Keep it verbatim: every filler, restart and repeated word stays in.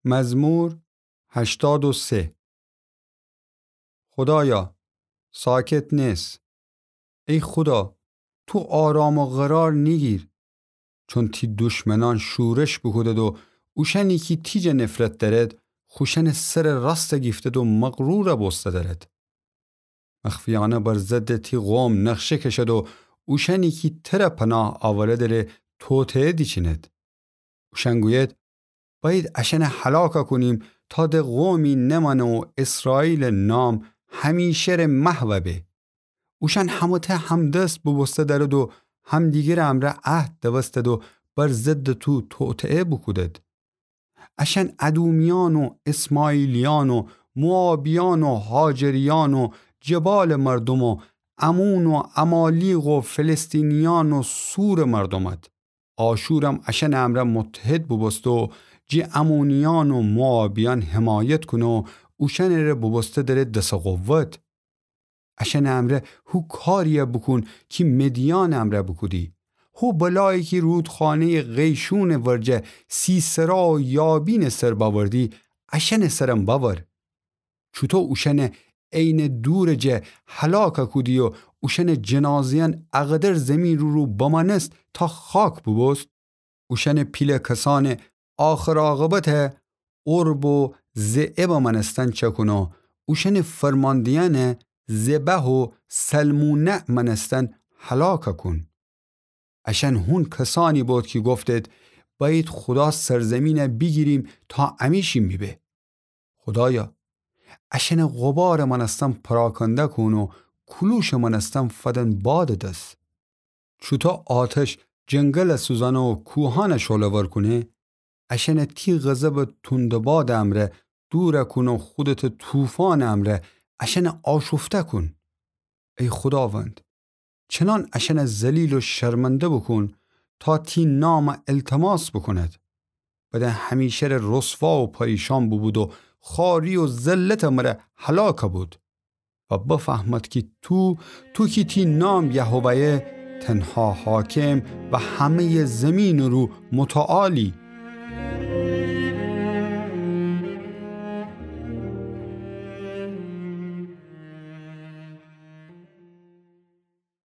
مزمور هشتاد و سه. خودایا، ساکت نس. ای خودا، تو آرام و قرار نیگیر. چون تی دشمنان شورش بوکودد و اوشأنی کی تی جا نفرت دأرد، خوشأنٚ سرٚ راست گیفتد و مغرور بوسته دأرد. مخفیأنه بر ضدٚ تی قوم نقشه کشد و اوشأنی کی تره پناه آورده ره توطئه دیچیند. اوشأن گوید، بأیید اشأنه هلاک کونیم تا د قومی نمأنه و اسرائیلٚ نام همیشه ره محو به. اوشأن همه‌ته همدست بوبوسته دأرد و همدیگرٚ امرأ عهد دوستد و بر ضدٚ تو توطئه بوکودد. اشأن ادومیأن و اسماعیلیأن و موآبیأن و هاجریأن و جبالٚ مردوم و عمون و عمالیق و فلسطینیأن و سورٚ مردومد. آشورم اشأنٚ امرأ متحد بوبوسته و جی عمونیأن و موآبیأن حمایت کونه و اوشأنٚ ره بوبوسته دأره دس قوت. اشأنٚ امرأ هو کاریی بوکون کی مدیانٚ امرأ بوکودی. هو بلایی کی رودخانه‌یٚ قیشونٚ ورجه سیسرا و یابینٚ سر بأوردی، اشأنٚ سرم بأور. چوطو اوشأنه عینٚ دورٚ جا هلاک کودی و اوشأنٚ جنازه‌یأن اقدر زیمینٚ رو بمأنست تا خاک بوبوست، اوشأنٚ پیله کسأنٚ آخر عاقبت عرب و ضئب مأنستن چأکون و اوشأنٚ فرمانده‌یأنه ضبح و سلمونع مأنستن هلاک کون. اشأن هون کسأنی بود کی گفتید، بأیید خودا سرزیمینه بیگیریم تا امی‌شیم بیبه. خودایا، اشأنٚ غبارٚ مأنستن پراکنده کون و کولوشٚ مأنستن فدن بادٚ دس. چوطو آتش جنگل سوزأنه و کوهأن شعله‌ور کونه، اشأنه تی غضبٚ توندٚ بادٚ امرأ دور کون و خودتٚ طوفانٚ امرأ اشأنه آشفته کون. ای خوداوند، چنان اشأنه ذلیل و شرمنده بوکون تا تی نام التماس بوکوند. بدأن همیشه ره رسوا و پریشان بوبود و خواری و ذلتٚ مره هلاک بود. و بفهمد کی تو، تو کی تی نام یهوه‌یه، تنها حاکم و همه‌یٚ زیمینٚ رو متعالی،